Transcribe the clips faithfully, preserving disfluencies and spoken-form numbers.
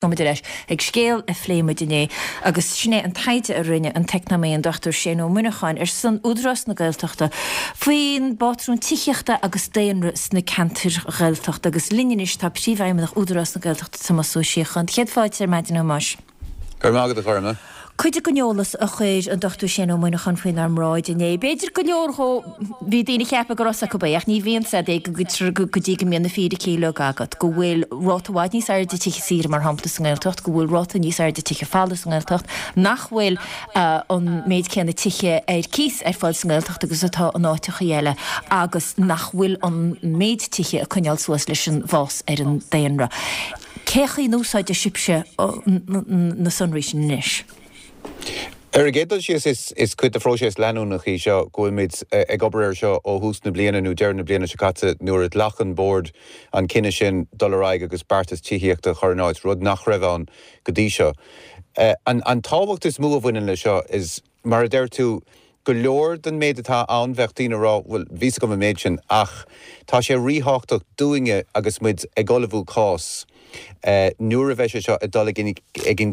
Muid ar ais ag scéal a phléigh muid inné agus sin é an taighde a rinne an t-eacnamaí an Dochtúir Shane Ó Muineacháin ar son Údarás na Gaeltachta faoin bpátrún tithíochta agus daonra sna ceantair Ghaeltachta agus linn anois tá Príomhfheidhmeannach Údarás na Gaeltachta Tomás Ó Síocháin. Céad fáilte ar maidin a Thomáis. Go raibh maith agat a Ghorma. Cuid den eolas a chuir an Dochtúir Shane Ó Muineacháin faoinár mbráid inné. B'fhéidir go leor dhó, bhí daoine ag ceapadh go raibh 's acu é, ach ní bhíonn 's a'd é go dtí go mbíonn na fíricí uilig agat, go bhfuil ráta i bhfad níos airde tithe saoire mar shampla sa nGaeltacht, go bhfuil ráta níos airde tithe folamh sa nGaeltacht, nach bhfuil an méid céanna tithe ar cíos ar fáil sa nGaeltacht agus atá in áiteachaí eile agus nach bhfuil an méid tithe ag coinneáil suas leis an bhfás ar an daonra. Cé chaoi a n-úsáideann sibhse na sonraí sin anois? Ar an gcéad dul síos, is is cuid de phróiseas leanúnach í seo go bhfuilmid ag obair air seo ó thús na bliana nó deireadh na bliana seo caite nuair a ghlac an Bord an cinneadh sin dul ar aghaidh agus beartas tithíochta a chur in áit, rud nach raibh ann go dtí seo. An an tábhacht is mó a bhaineann le seo is, mar a deir tú, go leor den méid atá ann bheadh daoine ag rá bhuel bhí's agam an méid sin ach tá sé ríthábhachtach dúinne agus muid ag ullmhú cás nuair a bheidh sé seo ag dul ag an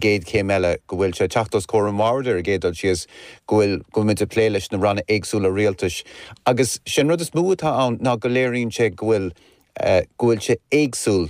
gcéad chéim eile, go bhfuil sé ag teacht os comhair an bhoird ar an gcéad dul síos, go bhfuil, go bhfuil muid ag plé leis na ranna éagsúla rialtais. Agus sé an rud is mó atá ann ná go léiríonn sé go bhfuil, go bhfuil sé éagsúil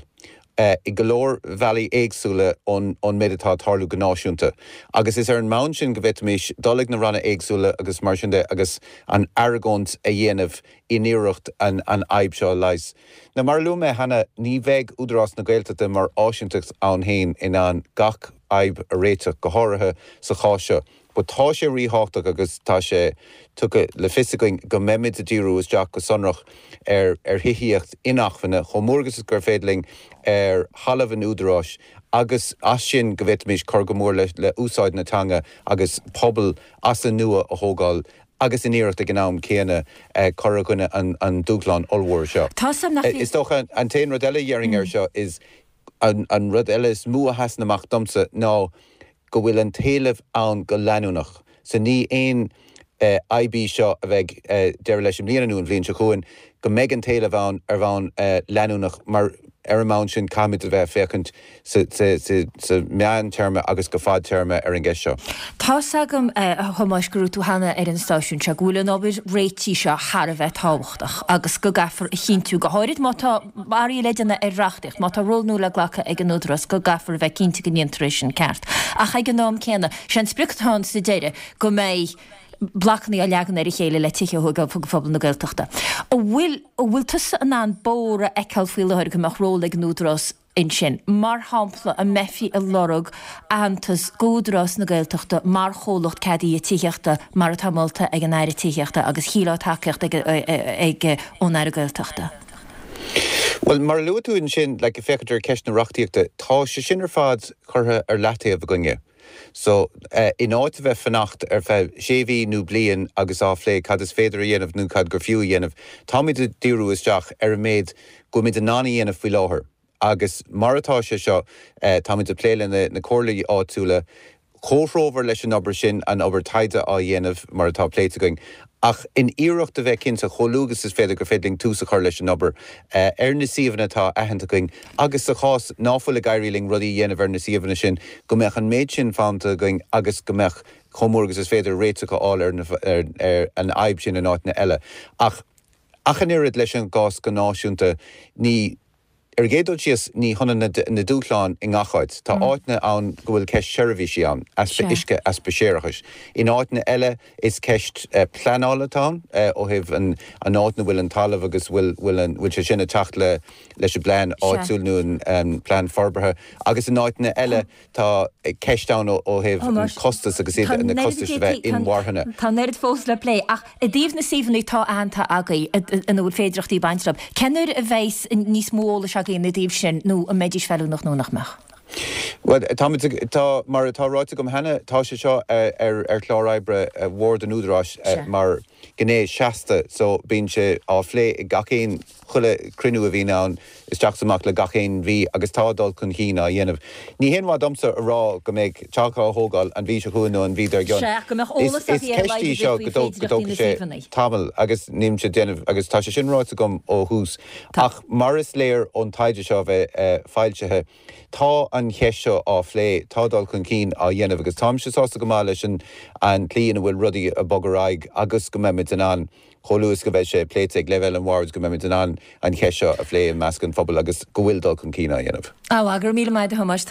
i go leor bealaí éagsúla ón ón méid atá ag tarlú go náisiúnta. Agus is ar an mbonn sin go bhféadfaimis dul ag na ranna éagsúla agus mar sin de agus an argóint a dhéanamh in iarracht an an fhadhb seo a leigheas. Now mar a luaigh mé cheana, ní bheidh Údarás na Gaeltachta mar áisínteacht ann féin in ann gach fhadhb a réiteach, go háirithe sa chás seo. But tá sé ríthábhachtach agus tá sé tugtha le fios againn go mbeimid ag díriú isteach go sonrach ar ar thithíocht inacmhainne chomh mór agus is gur féidir linn ar thalamh an Údaráis agus as sin go bhféadfaimis cur go mór le le úsáid na teanga agus pobal as an nua a thógáil agus in iarracht ag an am céanna cur i gcoinne an dúshlán ollmhór seo. Is dócha an t-aon rud eile a dhéarfainn air seo is an rud eile is mó a sheasann amach domsa ná go bhfuil an t-éileamh ann go leanúnach. So ní aon fhadhb í seo a bheidh deireadh leis i mbliana nó an bhliain seo chugainn, go mbeidh an t-éileamh ann ar bhonn leanúnach mar ar an mbonn sin caithfimid a bheith ag féachaint sa meántéarma agus go fadtéarma ar an gceist seo. Tá's agam, a Thomáis, go raibh tú cheana ar an stáisiún seo, go bhfuil an obair réitigh seo thar a bheith tábhachtach agus go gcaithfear a chinntiú, go háirid má tá athruithe le déanamh ar reachtaíocht, má tá ról nua le glacadh ag an Údarás, go gcaithfear a bheith cinnte go ndéantar é sin ceart. Ach ag an am céanna, sé an sprioc atá ann sa deireadh go mbeidh blocanna á leagan ar a chéile le tithe a thógáil do phobal na Gaeltachta. An bhfuil, an bhfuil tusa in ann bóthar a fheiceáil faoi láthair go mbeadh ról ag an Údarás ansin? Mar shampla, an mbeifí ag lorg aitheantas d'Údarás na Gaeltachta mar chomhlacht ceadaithe tithíochta mar atá molta ag an Aire Tithíochta agus shílfeá tacaíocht ag, ag, ón Aire Gaeltachta? Bhuel, mar a luaigh tú ansin, like, ag féachaint ar cheist na reachtaíochta, tá sé sin ar fad curtha ar leataobh againne. So, in áit a bheith fanacht ar feadh sé mhí nó bliain agus á phlé cad is féidir a dhéanamh nó cad gur fiú a dhéanamh, táimid ag díriú isteach ar an méid go bhfuilimid in ann a dhéanamh faoi láthair. Agus mar atá sé seo, táimid ag plé le na comhairlí áitiúla, comhthreomhar leis an obair sin, an obair taighde á dhéanamh mar atá pléite againn, ach in iarracht a bheith cinnte chomh luath agus is féidir gur féidir linn tús a chur leis an obair ar na suíomhanna atá aitheanta againn agus sa chás ná fuil ag éirí linn rudaí a dhéanamh ar na suíomhanna sin, go mbeadh an méid sin fanta againn agus go mbeadh chomh mór agus is féidir réiteach a fháil ar ar an fhadhb sin in áiteanna eile. Ach ach an oiread leis an gcás go náisiúnta, ní. Ar an gcéad dul síos, ní hionann na dúshláin i ngach áit. Tá áiteanna ann go bhfuil ceist seirbhísí ann, easpa uisce, easpa séarachais. In áiteanna eile, is ceist pleanála atá ann, ó thaobh an áit ina bhfuil an talamh agus bhfuil bhfuil sé sin ag teacht le leis an bplean áitiúil nó an plean forbartha. Agus in áiteanna eile, tá ceist ann ó thaobh an costas agus iad na costais a bheith inmharthana. Tá an oiread fós le plé ach i dtaobh na suíomhanna atá aitheanta agaibh ina bhfuil féidearthachtaí ag baint leo, cén uair a bheas níos mó eolais agaibh ina dtaobh sin nó an mbeidís feiliúnach nó nach mbeadh? Bhuel, táimid ag, tá, mar atá ráite agam cheana, tá sé seo ar ar chlár oibre Bhord an Údaráis mar ghné seasta so bíonn sé á phlé ag gach aon chuile chruinniú a bhíonn ann isteach is amach le gach aon mhí agus tá dul chun cinn á dhéanamh. Ní haon mhaith domsa a rá go mbeidh teach á thógáil an mhí seo chugainn nó an mhí dár gcionn. Sea, ach go mbeadh eolas Is agaibh ar a ceist laghad í a seo bheith go faoi dtóg go féidearthachtaí na dtógfaidh sé suíomhanna. tamall agus nílimse ag déanamh agus tá sé sin ráite agam ó thús Tá. ach mar is léir ón taighde seo a bheith foilsithe tá an cheist seo seo á phlé, tá dul chun cinn á dhéanamh agus táimse sásta go maith leis an an tslí ina bhfuil rudaí ag bogadh ar aghaidh agus go mbeimid in ann chomh luath is go bheidh sé pléite ag leibhéal an bhoird go mbeimid in ann an cheist seo a phlé i measc an phobail agus go bhfuil dul chun cinn á dhéanamh. Á, go raibh míle maith agat a Thomáis.